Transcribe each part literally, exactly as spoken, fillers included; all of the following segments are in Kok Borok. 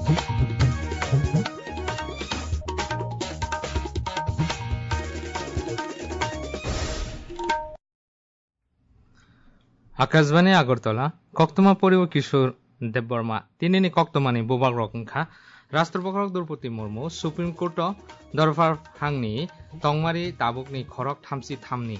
Akashbani Agartala, koktwma poriwo Kishore Debbarma. Tinini koktwmani bubagrok wngkha, Rashtrapati Draupadi Murmu Supreme Court o dorbar phangni tongmari tabukni khorok thamchi thamni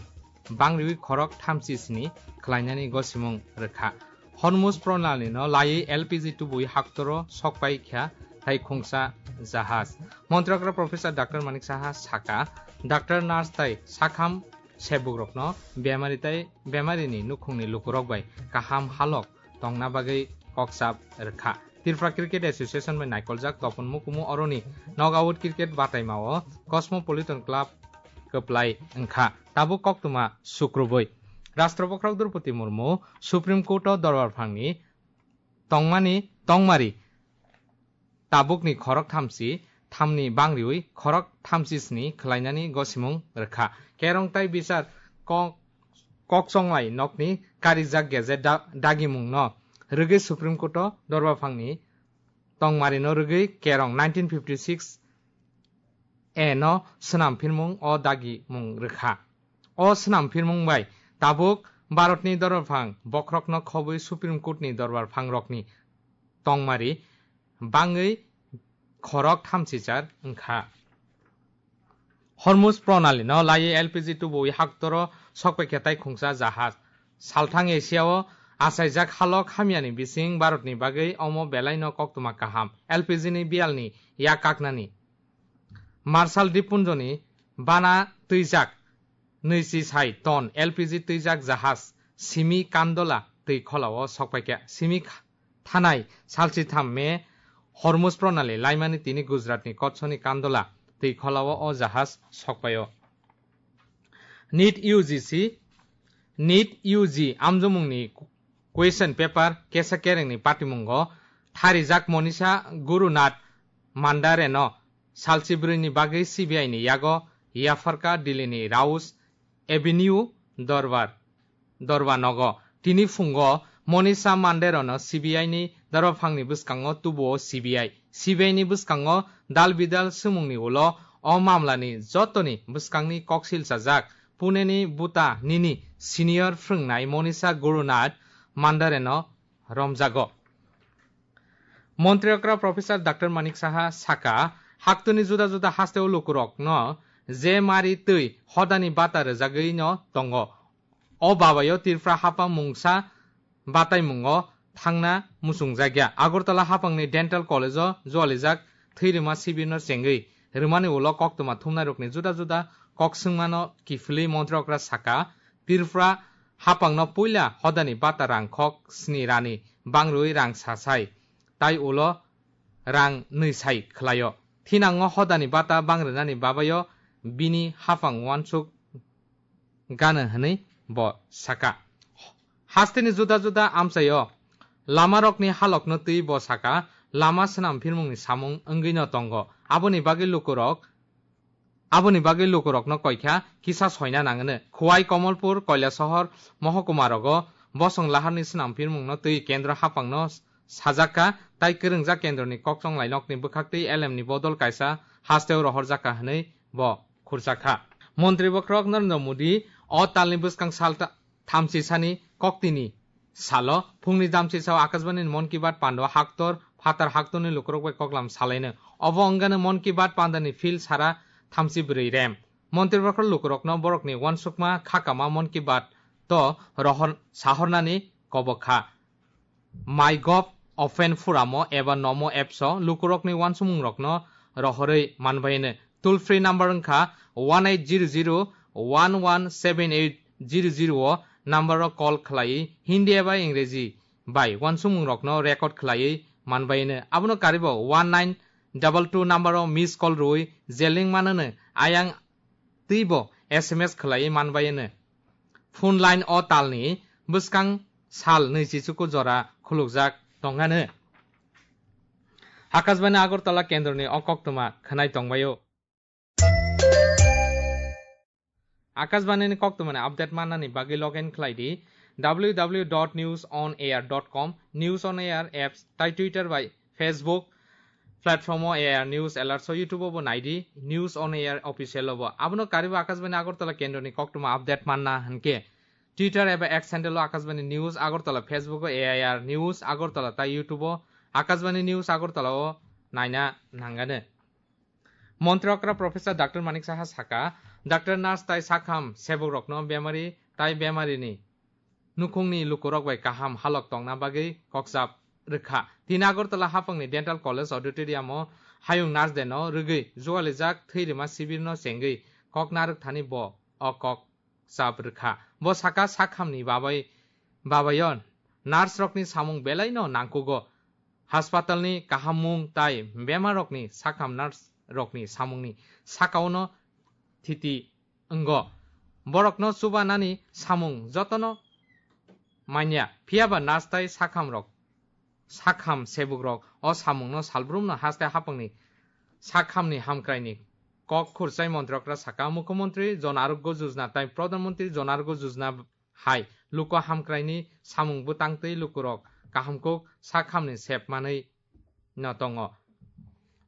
bangriwi khorok thamchi sni khlainani gosimung rwkha. Hormuz Pranali no laiwi L P G tubui haktoro sokpai kha taikhungsa jahaj. Montri okra Professor Doctor Manik Saha saka, doctor, nurse tai sakham sebukrokno bemari tai bemarini nukhungni lukurok bai kaham halok tongna bagwi kokchap rwkha. Tripura Cricket Association bai naikoljak topon mukumu oroni knockout cricket bataimao Cosmopolitan Club kwplai wngkha. Tabuk koktwma sukrubui. Rashtrapati Draupadi Murmu Supreme Court o dorbar phangni tongmani tongmari tabukni khorok thamchi thamni bangriwi khorok thamchi sni khlainani gosimung rwkha. Kerong tai bichar kok, kokchonglai nokni karijak gazette da-, dagimungno rwgwi Supreme Court o dorbar phangni tongmarino rwgwi kerong nineteen fifty six A no swnam phirmung o dagimung rwkha. O swnam phirmung bai tabuk Bharatni dorbar phang bokhorokno khobwi Supreme Court ni dorbar phangrokni tongmari bangwi khorok thamchichar wngkha. Hormuz Pranali no laiwi L P G tubui haktoro sokpaikha taikhungsa jahaj. Salthang Asia o achaijak halok hamyani bising Bharatni bagwi omo belaino koktwma kaham. L P G ni biyalni yak kaknani. Marshall Dippunjoni bana twijak nwichi sai ton L P G twijak jahaj simi Kandola twi kholao sokpaikha. Simi kha-, thanai salchi tham me Hormuz Pranali laimani tini Gujaratni kotsoni Kandola twi kholao o jahaj sokpaio. NEET U G C, NEET U G amjomungni question paper kesa kerengni patimungo tharijak Monisha Gurunath Mandareno salchi brwini bagwi C B I ni yago yapharkha Delhi ni Rouse Avenue dorbar, dorba nogo. Tini phungo Monisha Mandareno C B I ni dorba phangni bwskango tubuo C B I. C B I ni bwskango dal bidal swmungni ulo o mamlani jotoni bwskangni koksil chajak Pune ni Buta nini senior phrwngnai Monisha Gurunath Mandareno romjago. Montri okra Professor Doctor Manik Saha saka, haktwni juda juda hasteo lukurokno je mari twi hodani bata rwjagwino tongo. O babayo Tripura hapang mungsa bataimungo thangna muchungjakya. Agartala hapangni Dental College-o jualijak thwi rwma sibirno chengwi rwmani ulo koktwma thumnairokni juda juda kok swngmano kiphilwi montri okra saka, Tripura hapangno puila hodani bata rang khok sni rani bangrwi rang sa sai, tai ulo rang nwi sai khlaio. Thinango hodani bata bangrwnani babayo bini hapang uansuk gana hwnwi bo saka. Hasteni juda juda amchaio lamarokni halokno twi bo saka, lama swnam phirmungni samung wngwino tongo. Aboni bagwi lukurok, aboni bagwi lukurokno koikha kisa soina nangwno. Khowai, Komolpur, Kailasahar mohokuma rogo bosong laharni swnam phirmungno twi kendro hapangno sajakha, tai kwrwngjak kendroni kokchonglai nokni bwkhaktwi L M ni bodol kaisa hasteo rohorjakha hwnwi bo khurjakha. Montri bokhorok Narendra Modi o talni bwskang sal ta-, thamchi sani koktini salo phungni jamchi sao Akashbani Mon Ki Baat pando haktor phatar haktorni lukurok bai koklam salaino. Obo wngano Mon Ki Baat pandani phil sara thamchi bwrwi rem. Montri bokhorok lukurokno borokni uansukma khakama Mon Ki Baat to rohor sahornani kobok kha. MyGov Open Forum-o eba Namo Apps-o lukurokni uansumungrokno rohorwi manbaino. Toll free number wngkha one eight zero zero one one seven eight zero zero o number-o call khlaiwi Hindi eba Ingreji bai uansumungrokno record khlaiwi manbaino. Abono karibo one nine double two number-o miss call rwui je link manano ayang twibo S M S khlaiwi manbaino. Phone line o talni bwskang sal nwichi chuku jora khulukjak tongano. Akashbani Agartala kendroni o koktwma khwnai tongbaio. Akashbani ni koktwmani update mannani bagwi log in khlai di W W W dot news on air dot com, News on Air apps tai Twitter bai Facebook platform o A I R News Alerts o, YouTube o bo naidi, News on Air official o bo. Abono karibo Akashbani Agartala kendroni koktwma update manna hinkhe Twitter eba X handle o Akashbani News Agartala, Facebook o A I R News Agartala tai YouTube o Akashbani News Agartala o naina nangano. Montri okra Professor Doctor Manik Saha saka, Doctor, nurse tai sakham sebukrokno bemari tai bemarini nukhungni lukurok bai kaham halok tongna bagwi kokchap rwkha. Tini Agartala haphangni Dental College Auditorium o hayung nurse day no rwgwi jualijak thwi rwma sibirno chengwi kok narwk thani bo o kok chap rwkha. Bo saka sakhamni babai, babayon nurse rokni samung belaino nangkugo. Haspatalni kahammung tai bemarrokni sakham nurse rokni samungni sakaono thiti wngo. Borokno chubanani samung jotono manya, phiyaba nurse tai sakhamrok, sakham sebukrok o samungno salbrumno haste haphangni sakhamni hamkraini kok khurchai montri okra saka, Mukhyamantri Jan Arogya Yojana tai Pradhan Mantri Jan Arogya Yojana hai luku hamkraini samung bwtang twi lukurok kahamkuk sakhamni sep manwi no tongo.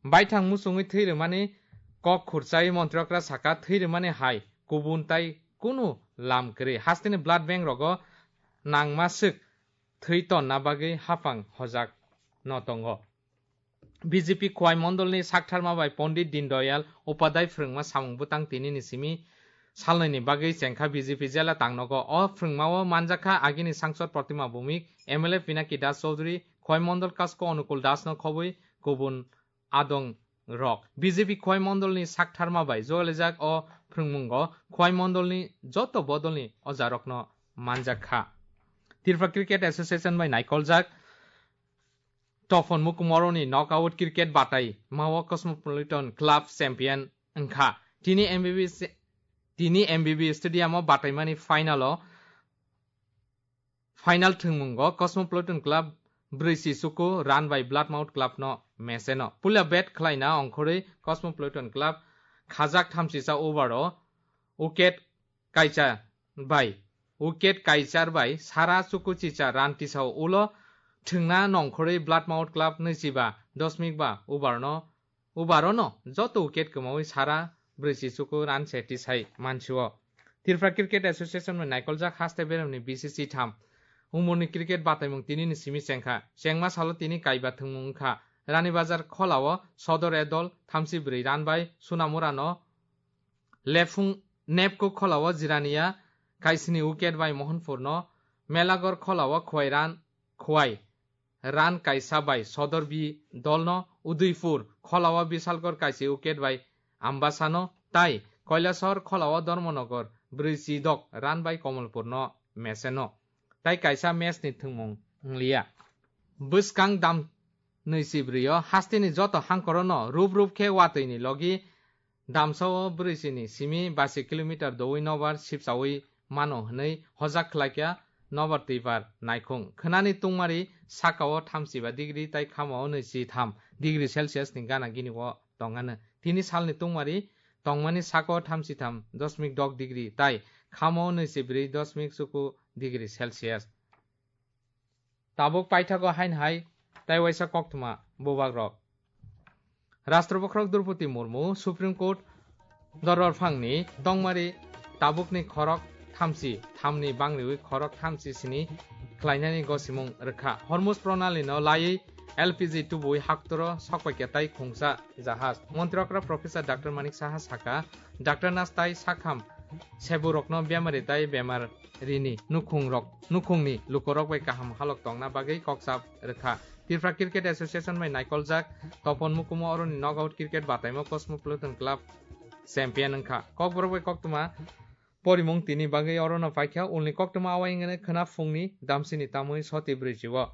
Baithang muchungwi thwi rwmani kok khurchai montri okra saka, thwi rwmani hai kubun tai kunu lam kwrwi. Hasteni blood bank rogo nangma swk thwi tonna bagwi haphang hojak no tongo. B J P Khowai Mondolni saktharma bai Pondit Dindayal Upadhyay phrwngma samung bwtang tinini simi salnwini bagwi chengkha B J P jela tangnogo. O phrwngmao manjakha agini sangsod Protima Bhowmik, M L A Pinaki Das Chaudhury, Khowai Mondol Kasko Onukul Dasno khobwi kubun adong rok. B J P Khowai Mondolni saktharma bai jogalijak o phrwngmungo Khowai Mondolni joto bodolni ojarokno manjakha. Tripura Cricket Association bai naikoljak Topon Mukumoroni knockout cricket batai mao Cosmopolitan Club champion wngkha. Tini M B B, tini M B B Stadium o bataimani final o, final thwngmungo Cosmopolitan Club brwi si suku run bai Bloodmouth Club no meseno. Puila bat khlaina ongkhorwi Cosmopolitan Club khajak thamsisa over o wicket kaisa bai, wicket kaichar bai sara chuku chicha run tisao ulo thwngna nongkhorwi Bloodmouth Club nwichiba dosmik ba ubarno, ubarono joto wicket kwmawi sara brwi si chuku run se tisai mansio. Tripura Cricket Association bai naikoljak haste beremni B C C tham. Umurni cricket bataimung tinini simi chengkha. Chengma salo tini kaiba thwngmung wngkha. Rani Bazar kholao Sodor e dol thamsi brwi run bai Sunamurano Lephung nepkuk kholao Jirania kaisini wicket bai Mohanpurno, Melagor kholao Khowai run, Khowai run kaisa bai Sodor B dolno, Udaipur kholao Bishalgor kaisi wicket bai Ambasano, tai Kailasahar kholao Dharmanagar brwi si dok run bai Kamalpurno meseno. Tai kaisa match ni thwngmung wngliya. Bwskang dam nwi si brwi o hasteni joto hangkorono rup rup khe watwi ni logi damsao brwi si ni simi basi kilometer dowi nobar sipsawi mano hwnwi hojak khlaikha nobar twibar naikhung. Khwnani tungmari sakao thamsiba degree tai khamao nwi si tham degree Celsius ni gana gini o tongano. Tini salni tungmari tongmani sako thamsi tham dosmik dok degree tai khamao nwi si brwi dosmik chuku degree Celsius. Tabuk paithago hain hai tai waisa koktwma bubagrok. Rashtra bokhorok Droupadi Murmu Supreme Court dorbar phangni tongmari tabukni khorok thamsi thamni bangriwi khorok thamsi sini khlainani gosimung rwkha. Hormuz Pranali no laiwi L P G tubuwi haktoro sokpaikha tai khungsa jahaj. Montri okra Professor Doctor Manik Saha saka, Doctor nurse tai sakham seburokno bemari tai bemar rini nukhungrok, nukhungni lukurok bai kaham halok tongna bagwi kokchap rwkha. Tripura Cricket Association bai naikoljak Topon Mukumo oroni knockout cricket bataimo Cosmopolitan Club champion wngkha. Kokborok bai koktwma porimung tini bagwi orono paikha, ulni koktwma awai wngkhe khwna phungni damsini tamwi soti brwichi o.